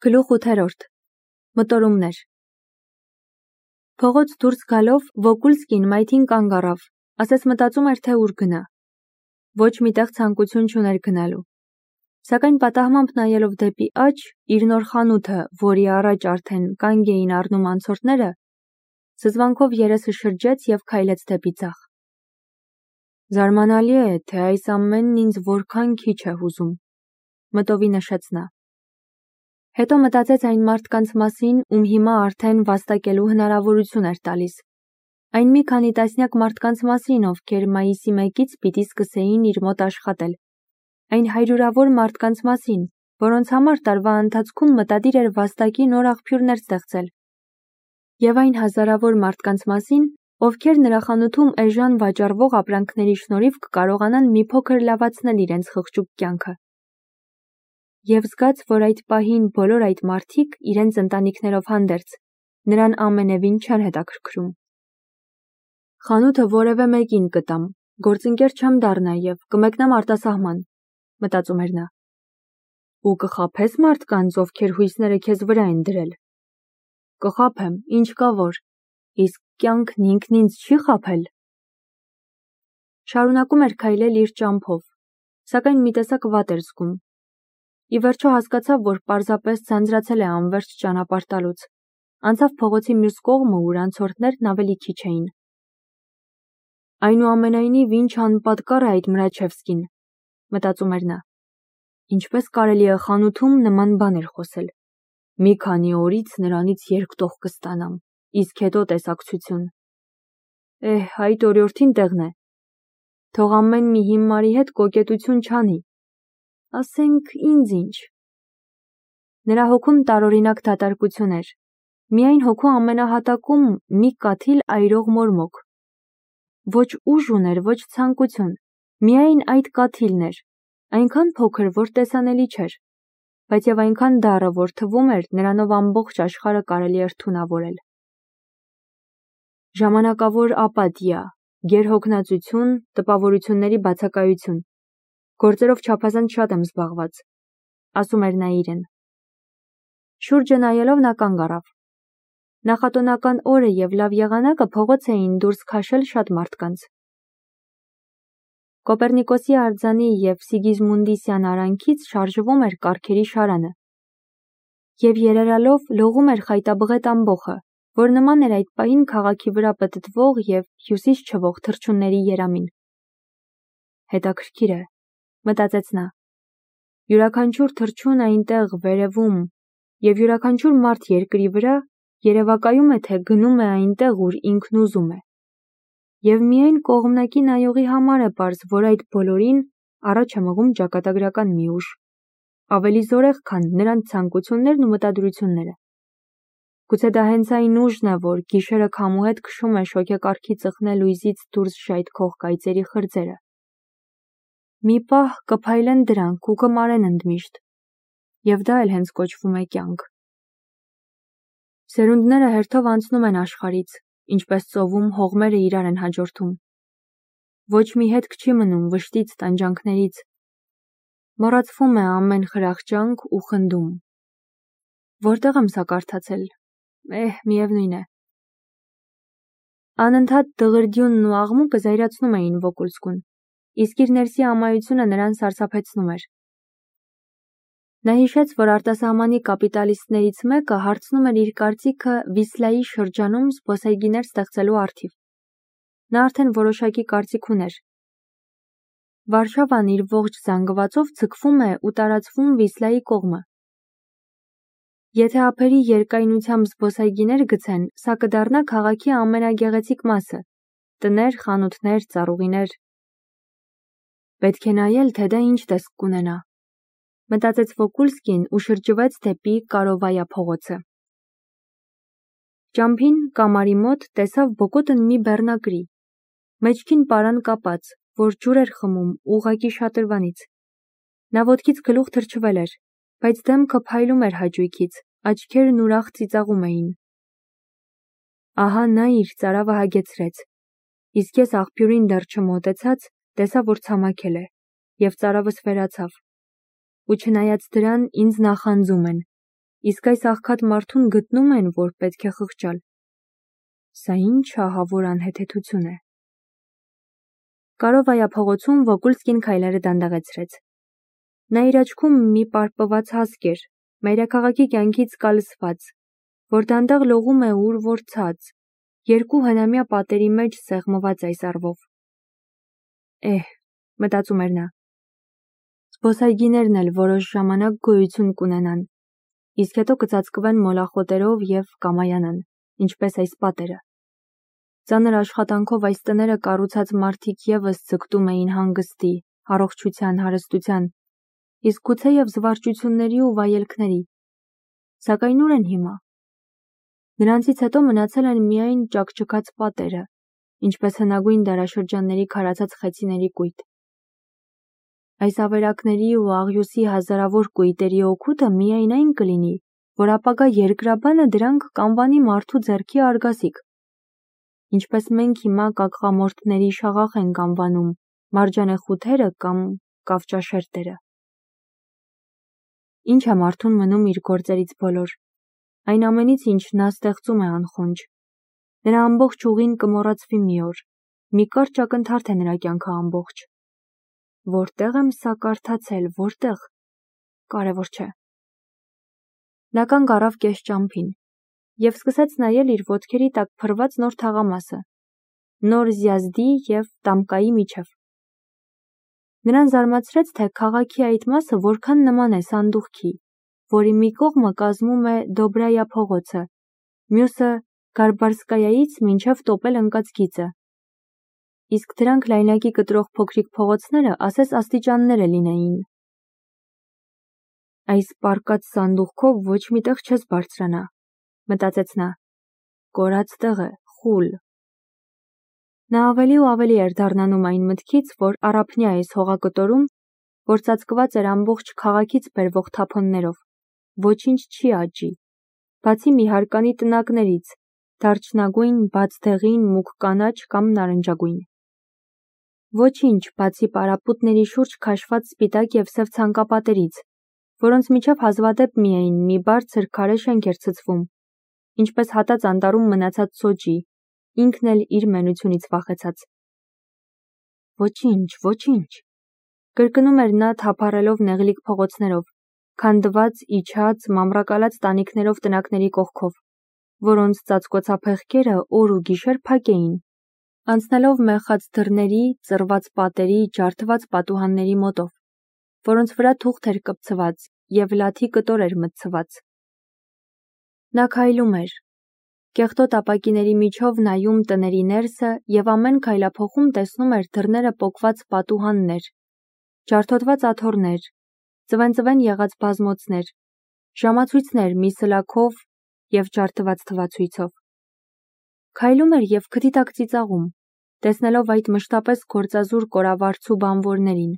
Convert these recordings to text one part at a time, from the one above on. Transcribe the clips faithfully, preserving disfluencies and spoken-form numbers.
Գլուխ ութերորդ. Մտորումներ։ Փողոց դուրս գալով Վոկուլսկին մայթին կանգ առավ, ասես մտածում էր, թե ուր գնա։ Ոչ միտեղ ցանկություն չուներ գնալու։ Սակայն պատահմամբ նայելով դեպի աջ, իր նոր խանութը, որի առաջ արդեն կանգ էին առնում անցորդները, զզվանքով երեսը շրջեց և քայլեց դեպի ձախ։ Զարմանալի է, թե այս ամենն ինձ որքան քիչ է հուզում, մտովի նշեց նա։ Հետո մտածեց այն մարդկանց մասին, ում հիմա արդեն վաստակելու հնարավորություն էր տալիս։ Այն մի քանի տասնյակ մարդկանց մասին, ովքեր մայիսի մեկից պիտի սկսեին իր մոտ աշխատել։ Այն հարյուրավոր մարդկանց մասին, որոնց համար տարվա ընթացքում մտադիր էր վաստակի նոր աղբյուրներ ստեղծել։ Եվ այն հազարավոր մարդկանց մասին, ովքեր նրա խանութում էժան վաճառվող ապրանքների շնորհիվ կկարողանան մի փոքր լավացնել իրենց խղճուկ կյանքը։ Եվ զգաց, որ այդ պահին բոլոր այդ մարդիկ իրենց ընտանիքներով հանդերձ, նրան ամենևին չեն հետաքրքրում։ Խանութը որևէ մեկին կտամ, գործընկեր չեմ դառնա և կմեկնեմ արտասահման, մտածում էր նա։ Ու կխաբես մարդկանց, ովքեր հույսները քեզ վրա են դրել։ Կխաբեմ, ինչ կա որ, իսկ կյանքն ինքն ինձ չի խաբել։ Շարունակում էր քայլել իր ճամփով, սակայն մի տեսակ վատ էր զգում։ Ի վերջո հասկացավ, որ պարզապես ձանձրացել է անվերջ ճանապարհ տալուց։ Անցավ փողոցի մյուս կողմը, ուր անցորդներն ավելի քիչ էին։ Այնուամենայնիվ, ինչ անպատկառ է այդ Մրաչևսկին, մտածում էր նա։ Ինչպես կարելի է խանութում նման բաներ խոսել։ Մի քանի օրից նրանից երկտող կստանամ, իսկ հետո տեսակցություն։ Էհ, այդ օրիորդին տեղն է։ Թող ամեն մի հիմարի հետ կոկետություն չանի։ Ասենք ինձ ինչ։ Նրա հոգում տարօրինակ դատարկություն էր։ Միայն հոգու ամենահատակում մի կաթիլ այրող մորմոք։ Ոչ ուժ ուներ, ոչ ցանկություն, միայն այդ կաթիլն էր, այնքան փոքր, որ տեսանելի չէր, բայց և այնքան դառը, որ թվում էր, նրանով ամբողջ աշխարհը կարելի էր թունավորել։ Ժամանակավոր ապաթիա, գերհոգնածություն, տպավորությունների բացակայություն։ Գործերով չափազանց շատ եմ զբաղված, ասում էր նա իրեն։ Շուրջը նայելով նա կանգ առավ։ Նախատոնական օրը և լավ եղանակը փողոց էին դուրս քաշել շատ մարդկանց։ Կոպեռնիկոսի արձանի և Սիգիզմունդիսյան արանքից շարժվում էր կառքերի շարանը։ Եվ երերալով լողում էր խայտաբղետ ամբոխը, որ նման էր այդ պահին քաղաքի վրա պտտվող և հյուսիս չվող թռչունների երամին։ Հետաքրքիր է, մտածեց նա։ Յուրաքանչյուր թռչուն այնտեղ վերևում և յուրաքանչյուր մարդ երկրի վրա երևակայում է, թե գնում է այնտեղ, ուր ինքն ուզում է։ Եվ միայն կողմնակի նայողի համար է պարզ, որ այդ բոլորին առաջ է մղում ճակատագրական մի ուժ, ավելի զորեղ, քան նրանց ցանկություններն ու մտադրությունները։ Գուցե դա հենց այն ուժն է, որ գիշերը քամու հետ քշում է շոգեկառքի ծխնե լույզից դուրս ժայթքող կայծերի խրձերը։ Մի պահ կփայլեն դրանք ու կմարեն ընդմիշտ, և դա էլ հենց կոչվում է կյանք։ Սերունդները հերթով անցնում են աշխարհից, ինչպես ծովում հողմերը իրար են հաջորդում։ Ոչ մի հետք չի մնում վշտից, տանջանքներից։ Մոռացվում է ամեն խրախճանք ու խնդում։ Որտեղ եմ սա կարդացել։ Էհ, միևնույն է։ Անընդհատ դղրդյունն ու աղմուկը զայրացնում էին Վոկուլսկուն, իսկ իր ներսի ամայությունը նրան սարսափեցնում էր։ Նա հիշեց, որ արտասահմանի կապիտալիստներից մեկը հարցնում էր իր կարծիքը Վիսլայի շրջանում զբոսայգիներ ստեղծելու առթիվ։ Նա արդեն որոշակի կարծիք ուներ։ Վարշավան իր ողջ զանգվածով ձգվում է ու տարածվում Վիսլայի կողմը։ Եթե ափերի երկայնությամբ զբոսայգիներ գցեն, սա կդառնա քաղաքի ամենագեղեցիկ մասը՝ տներ, խանութներ, ծառուղիներ։ Պետք է նայել, թե դա ինչ տեսք կունենա, մտածեց Վոկուլսկին ու շրջվեց դեպի Կարովայա փողոցը։ Ճամփին կամարի մոտ տեսավ բոկոտն մի բեռնակրի, մեջքին պարան կապած, որ ջուր էր խմում ուղղակի շատրվանից։ Նա ոտքից գլուխ թրջվել էր, բայց դեմքը փայլում էր հաճույքից, աչքերն ուրախ ծիծաղում էին։ Ահա նա իր ծարավը հագեցրեց, իսկ ես աղբյուրին դեռ չմոտեցած, տեսա, որ ցամաքել է, և ծարավս վերացավ։ Ու չնայած դրան ինձ նախանձում են, Իսկ այս աղքատ մարդուն գտնում են, որ պետք է խղճալ։ Սա ինչ ահավոր անհեթեթություն է։ Կարովայա փողոցում Վոկուլսկին քայլերը դանդաղեցրեց։ Նա իր աչքում մի պարպված հասկ էր, մայրաքաղաքի կյանքից կալսված, որ դանդաղ լողում է ուր որ ցած, երկու հնամյա պատերի մեջ սեղմված այս առվով։ Էհ, մտածում էր նա։ Զբոսայգիներն էլ որոշ ժամանակ գոյություն կունենան, իսկ հետո կծածկվեն մոլախոտերով և կամայանան, ինչպես այս պատերը։ Ծանր աշխատանքով այս տները կառուցած մարդիկ ևս ձգտում էին հանգստի, առողջության, հարստության, իսկ գուցեև զվարճությունների ու վայելքների։ Սակայն ուր են հիմա։ Նրանցից հետո մնացել են միայն ճաքճքած պատերը, ինչպես հնագույն դարաշրջանների քարացած խեցիների կույտ։ Այս ավերակների ու աղյուսի հազարավոր կույտերի օգուտը միայն այն կլինի, որ ապագա երկրաբանը դրանք կանվանի մարդու ձեռքի արգասիկ։ Ինչպես մենք հիմա կակղամորթների շաղախ ենք անվանում մարջանեխութերը կամ կավճաշերտերը։ Ինչ է մարդուն մնում իր գործերից բոլոր, այն ամենից, ինչ նա ստեղծում է անխոնջ։ Նրա ամբողջ ուղին կմոռացվի մի օր, մի կարճ ակնթարթ է նրա կյանքը ամբողջ։ Որտեղ եմ սա կարդացել, որտեղ, կարևոր չէ։ Նա կանգ առավ կես ճամփին և սկսեց նայել իր ոտքերի տակ փռված նոր թաղամասը, նոր Զյազդի և Տամկայի միջև։ Նրան զարմացրեց, թե քաղաքի այդ մասը որքան նման է սանդուղքի, որի մի կողմը կազմում է Դոբրայա փողոցը, մյուսը Գարբարսկայայից մինչև տոպել ընկած գիծը։ Իսկ դրանք լայնակի կտրող փոքրիկ փողոցները ասես աստիճաններ է լինեին։ Այս պառկած սանդուղքով ոչ մի տեղ չես բարձրանա, մտածեց նա։ Կորած տեղ է, խուլ։ Նա ավելի ու ավելի էր դառնանում այն մտքից, որ առափնյա այս հողակտորում, որ ծածկված էր ամբողջ քաղաքից բերվող թափոններով, ոչինչ չի աճի, բացի մի հարկանի տնակներից, դարչնագույն, բաց դեղին, մուգ կանաչ կամ նարնջագույն։ Ոչինչ, բացի պարապուտների շուրջ քաշված սպիտակ և սև ցանկապատերից, որոնց միջև հազվադեպ միայն մի բարձր քարե շենք էր ցցվում, ինչպես հատած անտառում մնացած սոճի, ինքն էլ իր մենությունից վախեցած։ Ոչինչ, ոչինչ, կրկնում էր նա թափառելով նեղլիկ փողոցներով, քանդված, իջած, մամռակալած տանիքներով տնակների կողքով, որոնց ծածկոցափեղկերը օր ու գիշեր փակ էին, անցնելով մեխած դռների, ծռված պատերի, ջարդված պատուհանների մոտով, որոնց վրա թուղթ էր կպցված և լաթի կտոր էր մտցված։ Նա քայլում էր, կեղտոտ ապակիների միջով նայում տների ներսը և ամեն քայլափոխում տեսնում էր դռները պոկված պատուհաններ, ջարդոտված աթոռներ, ծվեն-ծվեն եղած բազմոցներ, ժամացույցներ մի սլաքով և ջարդված թվացույցով։ Քայլում էր և քթի տակ ծիծաղում, տեսնելով այդ մշտապես գործազուր կորավարձու բանվորներին,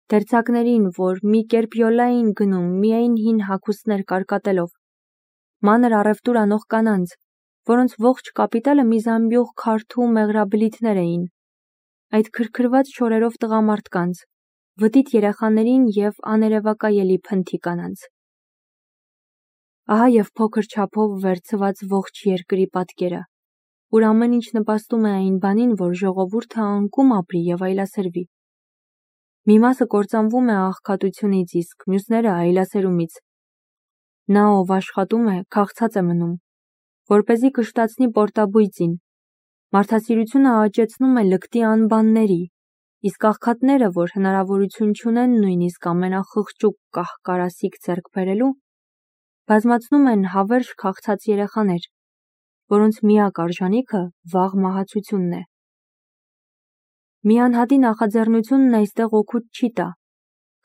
դերձակներին, որ մի կերպ յոլա էին գնում միայն հին հագուստներ կարկատելով, մանր առևտուր անող կանանց, որոնց ողջ կապիտալը մի զամբյուղ քարթու մեղրաբլիթներ էին, այդ քրքրված շորերով տղամարդկանց, վտիտ երեխաներին և աներևակայելի փնթի կանանց։ Ահա և փոքր չափով վերցված ողջ երկրի պատկերը, ուր ամեն ինչ նպաստում է այն բանին, որ ժողովուրդը անկում ապրի և այլասերվի։ Մի մասը կործանվում է աղքատությունից, իսկ մյուսները այլասերումից։ Նա, ով աշխատում է, քաղցած է մնում, որպեսզի կշտացնի պորտաբույծին, մարդասիրությունը աճեցնում է լկտի անբանների, իսկ աղքատները, որ հնարավորություն չունեն նույնիսկ ամենախղճուկ կահ-կարասիք ձեռք բերելու, բազմացնում են հավերժ քաղցած երեխաներ, որոնց միակ արժանիքը վաղ մահացությունն է։ Մի անհատի նախաձեռնությունն այստեղ օգուտ չի տա,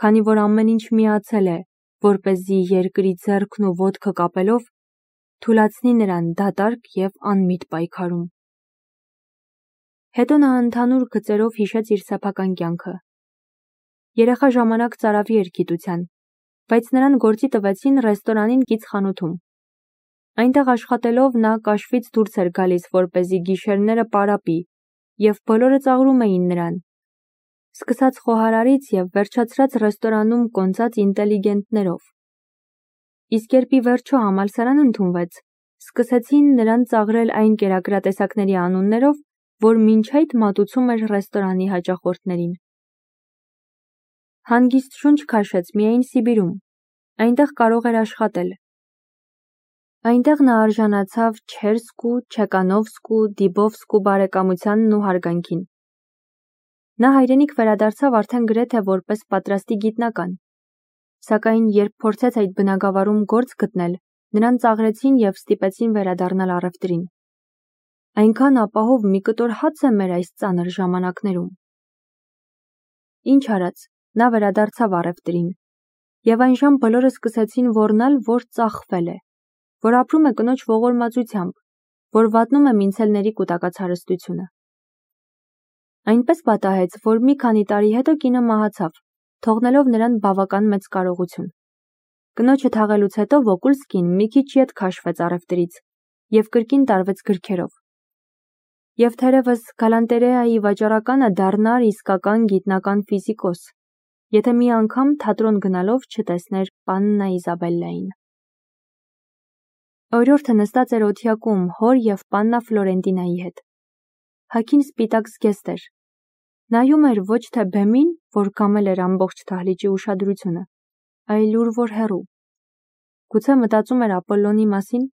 քանի որ ամեն ինչ միացել է, որպեսզի երկրի ձեռքն ու ոտքը կապելով թուլացնի նրան դատարկ և անմիտ պայքարում։ Հետո նա ընդհանուր գծերով հիշեց իր սեփական կյանքը։ Երեխա ժամանակ ծարավի էր գիտության, բայց նրան գործի տվեցին ռեստորանին կից խանութում։ Այնտեղ աշխատելով նա կաշվից դուրս էր գալիս, որպեսզի գիշերները պարապի, և բոլորը ծաղրում էին նրան, սկսած խոհարարից և վերջացրած ռեստորանում կոնծած ինտելիգենտներով։ իսկ երբ ի վերջո համալսարան ընդունվեց, սկսեցին նրան ծաղրել այն կերակրատեսակների անուններով, որ մինչ այդ մատուցում էր ռեստորանի հաճախորդներին։ Հանգիստ շունչ քաշեց միայն Սիբիրում, այնտեղ կարող էր աշխատել։ Այնտեղ նա արժանացավ Չերսկու, Չեկանովսկու, Դիբովսկու բարեկամությանն ու հարգանքին։ Նա հայրենիք վերադարձավ արդեն գրեթե որպես պատրաստի գիտնական, սակայն երբ փորձեց այդ բնագավառում գործ գտնել, նրան ծաղրեցին և ստիպեցին վերադառնալ առևտրին։ Այնքան ապահով մի կտոր հաց է մեր այս ծանր ժամանակներում։ Ինչ արած, նա վերադարձավ առևտրին, և այնժամ բոլորը սկսեցին ոռնալ, որ ծախվել է, որ ապրում է կնոջ ողորմածությամբ, որ վատնում է մինցելների կուտակած հարստությունը։ Այնպես պատահեց, որ մի քանի տարի հետո կինը մահացավ, թողնելով նրան բավական մեծ կարողություն։ Կնոջը թաղելուց հետո Վոկուլսկին մի քիչ ետ քաշվեց առևտրից և կրկին տարվեց գրքերով։ Եվ թերևս գալանտերեայի վաճառականը դառնար իսկական գիտնական ֆիզիկոս, եթե մի անգամ թատրոն գնալով չտեսներ պաննա Իզաբելլային։ Օրիորդը նստած էր օթյակում հոր և պաննա Ֆլորենտինայի հետ։ Հագին սպիտակ զգեստ էր։ Նայում էր ոչ թե բեմին, որ կամել էր ամբողջ դահլիճի ուշադրությունը, այլ ուր որ հեռու։ Գուցե մտածում էր Ապոլլոնի մասին։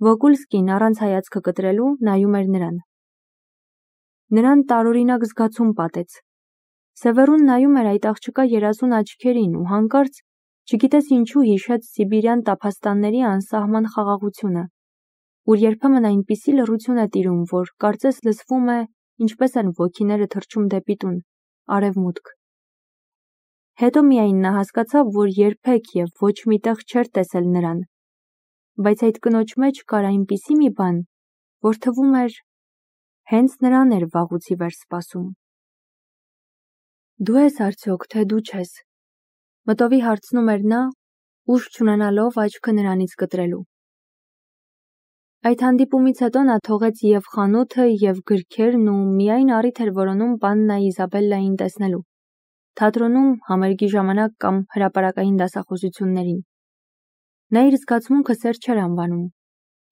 Վոկուլսկին առանց հայացքը կտրելու նայում էր նրան։ Նրան տարօրինակ զգացում պատեց։ Սևեռուն նայում էր այդ աղջկա երազուն աչքերին ու հանկարծ, չգիտես ինչու հիշեց սիբիրյան տափաստանների անսահման խաղաղությունը, ուր երբեմն այնպիսի լռություն է տիրում, որ կարծես լսվում է, ինչպես են ոգիները թռչում դեպի տուն, արևմուտք։ Հետո միայն նա հասկացավ, որ երբեք և ոչ մի տեղ չէր տեսել նրան, բայց այդ կնոջ մեջ կար այնպիսի մի բան, որ թվում էր հենց նրան էր վաղուց ի վեր սպասում։ Դու ես արդյոք, թե դու չես, մտովի հարցնում էր նա, ուժ չունենալով աչքը նրանից կտրելու։ Այդ հանդիպումից հետո նա թողեց և խանութը, և գրքերն ու միայն առիթ էր որոնում պաննա Իզաբելլային տեսնելու, թատրոնում համերգի ժամանակ կամ հրապարակային դասախոսություններին։ Նա իր զգացմունքը սեր չէր անվանում,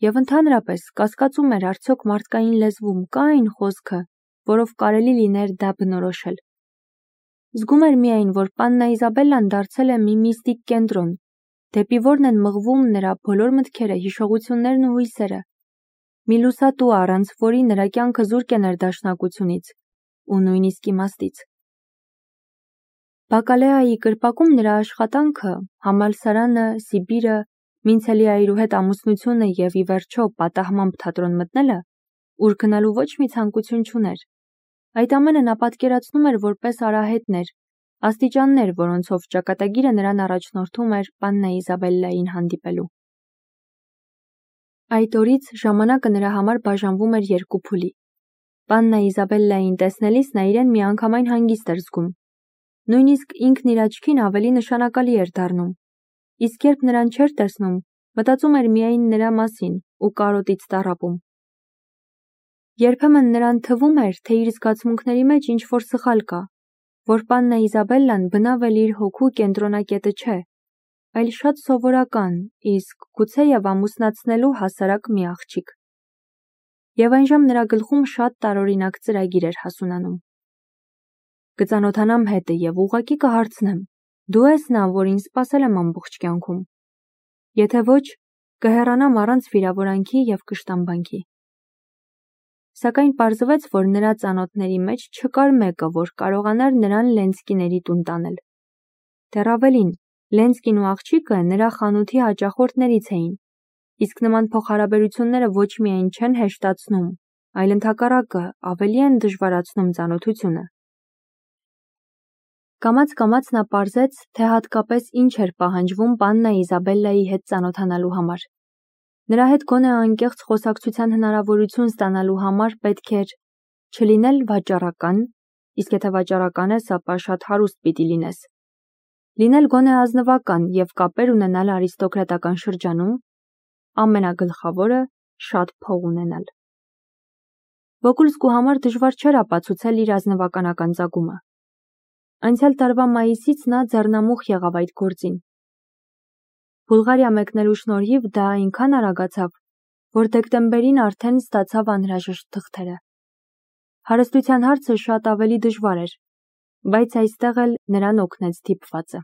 և ընդհանրապես կասկածում էր արդյոք մարդկային լեզվում կա այն խոսքը, որով կարելի լիներ դա բնորոշել։ Զգում էր միայն, որ պաննա Իզաբելլան դարձել է մի միստիկ կենտրոն, դեպի որն են մղվում նրա բոլոր մտքերը, հիշողություններն ու հույսերը, մի լուսատու, առանց որի նրա կյանքը զուրկ է ներդաշնակությունից ու նույնիսկ իմաստից։ Բակալեայի կրպակում նրա աշխատանքը, համալսարանը, Սիբիրը, Մինցելի այրու հետ ամուսնությունը և ի վերջո պատահմամբ թատրոն մտնելը, ուր գնալու ոչ մի ցանկություն չուներ։ Այդ ամենը նա պատկերացնում էր որպես արահետներ, աստիճաններ, որոնցով ճակատագիրը նրան առաջնորդում էր պաննա Իզաբելլային հանդիպելու։ Այդ օրից ժամանակը նրա համար բաժանվում էր երկու փուլի։ Պաննա Իզաբելլային տեսնելիս նա իրեն միանգամայն հանգիստ էր զգում։ Նույնիսկ ինքն իր աչքին ավելի նշանակալի էր դառնում, իսկ երբ նրան չէր տեսնում, մտածում էր միայն նրա մասին ու կարոտից տառապում։ Երբեմն նրան թվում էր, թե իր զգացմունքների մեջ ինչ-որ սխալ կա, որ պաննա Իզաբելլան բնավ էլ իր հոգու կենտրոնակետը չէ, այլ շատ սովորական, իսկ գուցեև ամուսնացնելու հասարակ մի աղջիկ։ Եվ այնժամ նրա գլխում շատ տարօրինակ ծրագիր էր հասունանում։ Կծանոթանամ հետը և ուղղակի կհարցնեմ. դու ես նա, որին սպասել եմ ամբողջ կյանքում։ Եթե ոչ, կհեռանամ առանց վիրավորանքի և կշտամբանքի։ Սակայն պարզվեց, որ նրա ծանոթների մեջ չկար մեկը, որ կարողանար նրան Լենսկիների տուն տանել։ Դեռ ավելին, Լենսկին ու աղջիկը նրա խանութի հաճախորդներից էին, իսկ նման փոխհարաբերությունները ոչ միայն չեն հեշտացնում, այլ ընդհակառակը ավելի են դժվարացնում ծանոթությունը։ Կամաց-կամաց նա պարզեց, թե հատկապես ինչ էր պահանջվում պաննա Իզաբելլայի հետ ծանոթանալու համար։ Նրա հետ գոնե անկեղծ խոսակցության հնարավորություն ստանալու համար պետք էր չլինել վաճառական, իսկ եթե վաճառական ես, ապա շատ հարուստ պիտի լինես, լինել գոնե ազնվական և կապեր ունենալ արիստոկրատական շրջանում, ամենագլխավորը շատ փող ունենալ։ Վոկուլսկու համար դժվար չէր ապացուցել իր ազնվականական ծագումը։ Անցյալ տարվա մայիսից նա ձեռնամուխ եղավ այդ գործին։ Բուլղարիա մեկնելու շնորհիվ դա այնքան արագացավ, որ դեկտեմբերին արդեն ստացավ անհրաժեշտ թղթերը։ Հարստության հարցը շատ ավելի դժվար էր, բայց այստեղ էլ նրան օգնեց դիպվածը։